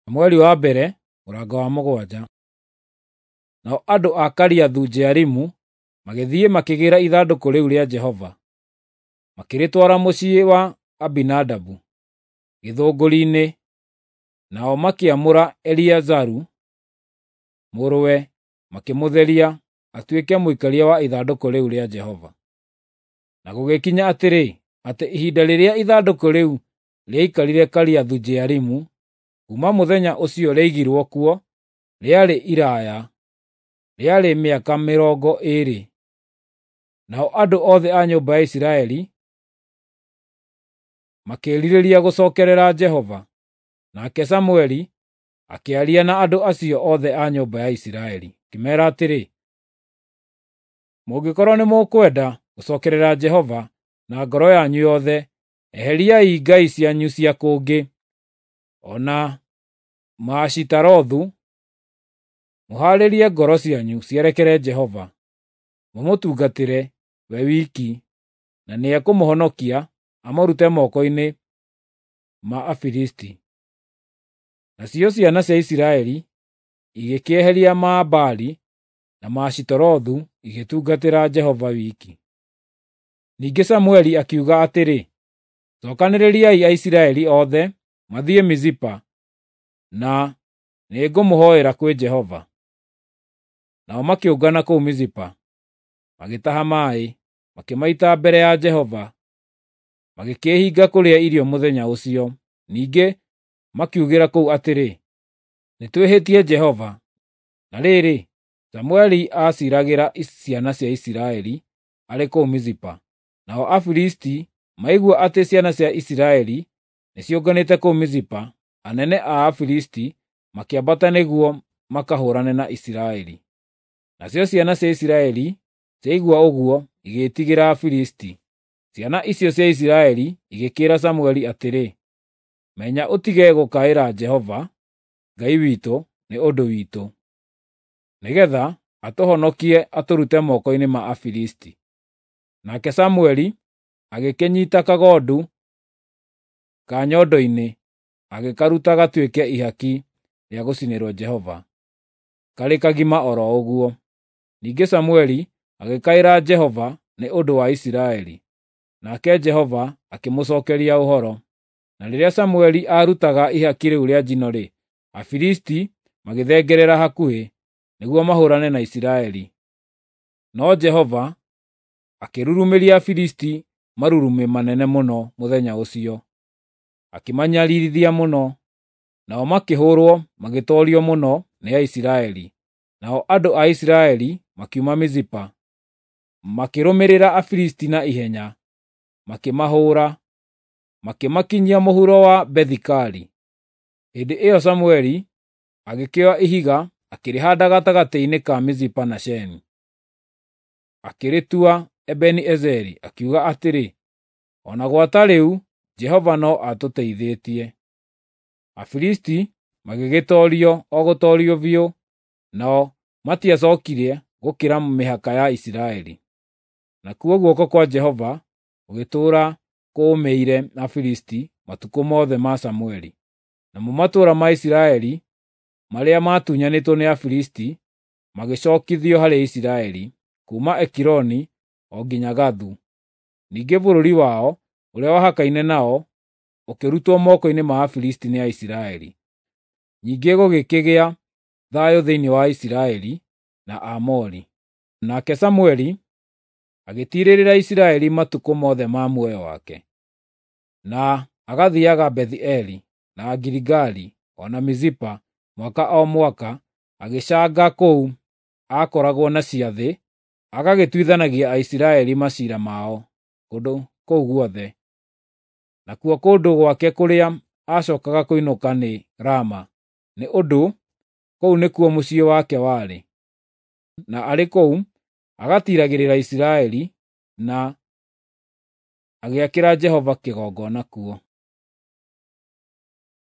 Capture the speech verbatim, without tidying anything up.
Mweri wa mbere, mũrango wa mũgwanja. Nao andũ a Kiriathu-Jearimu magĩthiĩ makĩgĩĩra ithandũkũ rĩu rĩa Jehova, makĩrĩtwara mũciĩ wa Abinadabu gĩthũngũri-inĩ, nao makĩamũra Eleazaru mũrũwe makĩmũtheria atuĩke mũikaria wa ithandũkũ rĩu rĩa Jehova. Na gũgĩkinya atĩrĩ, atĩ ihinda rĩrĩa ithandũkũ rĩu rĩaikarire Kiriathu-Jearimu, kuuma mũthenya ũcio rĩaigirwo kuo, rĩarĩ iraaya, rĩarĩ mĩaka mĩrongo ĩĩrĩ. Nao andũ othe a nyũmba ya Isiraeli makĩĩrirĩria gũcookerera Jehova. Nake Samũeli akĩaria na andũ acio othe a nyũmba ya Isiraeli, akĩmeera atĩrĩ, “Mũngĩkorwo nĩmũkwenda gũcookerera Jehova na ngoro yanyu yothe, eheriai ngai cianyu cia kũngĩ, o na Maashitarothu, mũhaarĩrie ngoro cianyu cierekere Jehova, mũmũtungatĩre we wiki, na nĩekũmũhonokia amũrute moko-inĩ ma Afilisti.” Nacio ciana cia Isiraeli igĩkĩeheria Mabaali na Maashitarothu igĩtungatĩra Jehova wiki. Ningĩ Samũeli akiuga atĩrĩ, “Cookanĩrĩriai Aisiraeli othe mathiĩ Mizipa, na nĩngũmũhoera kwĩ Jehova.” Nao makĩũngana kũu Mizipa, magĩtaha maaĩ, makĩmaita mbere ya Jehova, magĩkĩĩhinga kũrĩa irio mũthenya ũcio. Ningĩ makiugĩra kũu atĩrĩ, “Nĩtwĩhĩtie Jehova.” Na rĩrĩ, Samũeli aaciiragĩra ciana cia Isiraeli arĩ kũu Mizipa. Nao Afilisti maigua atĩ ciana cia Isiraeli nĩciũnganĩte kũu Mizipa, anene a Afilisti makĩambata nĩguo makahũũrane na Isiraeli. Nacio ciana cia Isiraeli ciaigua ũguo igĩĩtigĩra Afilisti. Ciana icio cia Isiraeli igĩkĩĩra Samũeli atĩrĩ, “Menya ũtige gũkaĩra Jehova Ngai witũ nĩ ũndũ witũ, nĩgeetha atũhonokie atũrute moko-inĩ ma Afilisti.” Nake Samũeli agĩkĩnyiita kagondu ka nyondo-inĩ agĩkaruta gatuĩke ihaki rĩa gũcinĩrwo Jehova, karĩ kagima o ro ũguo. Ningĩ Samũeli agĩkaĩra Jehova nĩ ũndũ wa Isiraeli, nake Jehova akĩmũcookeria ũhoro. Na rĩrĩa Samũeli aarutaga ihaki rĩu rĩa njino-rĩ, Afilisti magĩthengerera hakuhĩ nĩguo mahũũrane na Isiraeli. No Jehova akĩrurumĩria Afilisti marurumĩ manene mũno mũthenya ũcio, akĩmanyariirithia mũno. Nao makĩhũũrwo magĩtoorio mũno nĩ Aisiraeli. Nao andũ a Isiraeli makiuma Mizipa, makĩrũmĩrĩra Afilisti na ihenya, makĩmahũũra, makĩmakinyia mũhuro wa Bethi-Kari. Hĩndĩ ĩyo Samũeli agĩkĩoya ihiga akĩrĩhaanda gatagatĩ-inĩ ka Mizipa na Sheni. Akĩrĩtua Ebeni-Ezeri, akiuga atĩrĩ, “O na gwata rĩu Jehova no atũteithĩtie.” Afilisti magĩgĩtoorio o gũtoorio biũ, nao matiacookire gũkĩra mĩhaka ya Isiraeli. Nakuo guoko kwa Jehova gũgĩtũũra kũũmĩire Afilisti matukũ mothe ma Samũeli. Namo matũũra ma Isiraeli marĩa maatunyanĩtwo nĩ Afilisti magĩcookithio harĩ Isiraeli, kuuma Ekironi o nginya Gathu. Ningĩ bũrũri wao ũrĩa wahakaine nao ũkĩrutwo moko-inĩ ma Afilisti nĩ Aisiraeli. Ningĩ gũgĩkĩgĩa thayũ thĩinĩ wa Isiraeli na Aamori. Nake Samũeli agĩtiirĩrĩra Isiraeli matukũ mothe ma muoyo wake, na agathiiaga Bethi-Eli na Giligali o na Mizipa mwaka o mwaka agĩcanga kũu aakoragwo na ciathĩ, agagĩtuithanagia Aisiraeli maciira mao kũndũ kũu guothe. Nakuo kũndũ gwake kũrĩa aacookaga kũinũka nĩ Rama, nĩ ũndũ kũu nĩkuo mũciĩ wake warĩ. Na arĩ kũu agatiiragĩrĩra Isiraeli na agĩakĩra Jehova kĩgongona kuo.